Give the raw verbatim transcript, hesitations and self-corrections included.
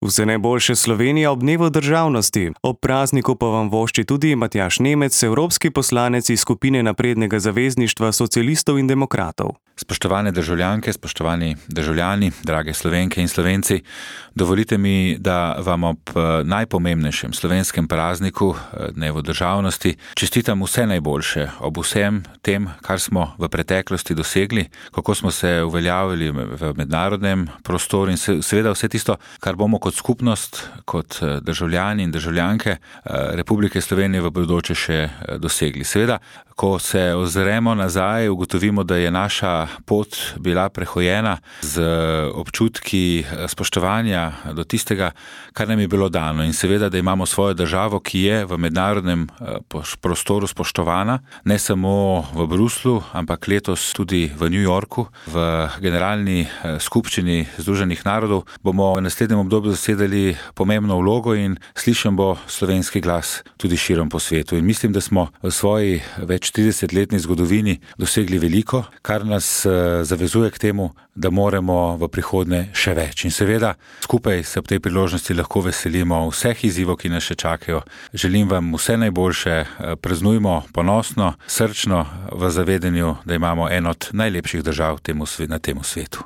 Vse najboljše Slovenija ob dnevu državnosti. Ob prazniku pa vam vošči tudi Matjaž Nemec, evropski poslanec iz skupine Naprednega zavezništva socialistov in demokratov. Spoštovane državljanke, spoštovani državljani, drage Slovenke in Slovenci, dovolite mi, da vam ob najpomembnejšem slovenskem prazniku, dnevu državnosti, čestitam vse najboljše ob vsem tem, kar smo v preteklosti dosegli, kako smo se uveljavili v mednarodnem prostoru in seveda vse tisto, kar bomo kot skupnost, kot državljani in državljanke Republike Slovenije v bodoče še dosegli. Seveda, ko se ozremo nazaj, ugotovimo, da je naša pot bila prehojena z občutki spoštovanja do tistega, kar nam je bilo dano. In seveda, da imamo svojo državo, ki je v mednarodnem prostoru spoštovana, ne samo v Bruslu, ampak letos tudi v New Yorku, v generalni skupščini Združenih narodov, bomo v naslednjem obdobju zasedali pomembno vlogo in slišen bo slovenski glas tudi širom po svetu. In mislim, da smo v svoji več tridesetletni zgodovini dosegli veliko, kar nas zavezuje k temu, da moramo v prihodnje še več. In seveda, skupaj se ob tej priložnosti lahko veselimo vseh izzivov, ki nas še čakajo. Želim vam vse najboljše, praznujmo ponosno, srčno v zavedanju, da imamo eno od najlepših držav na tem svetu.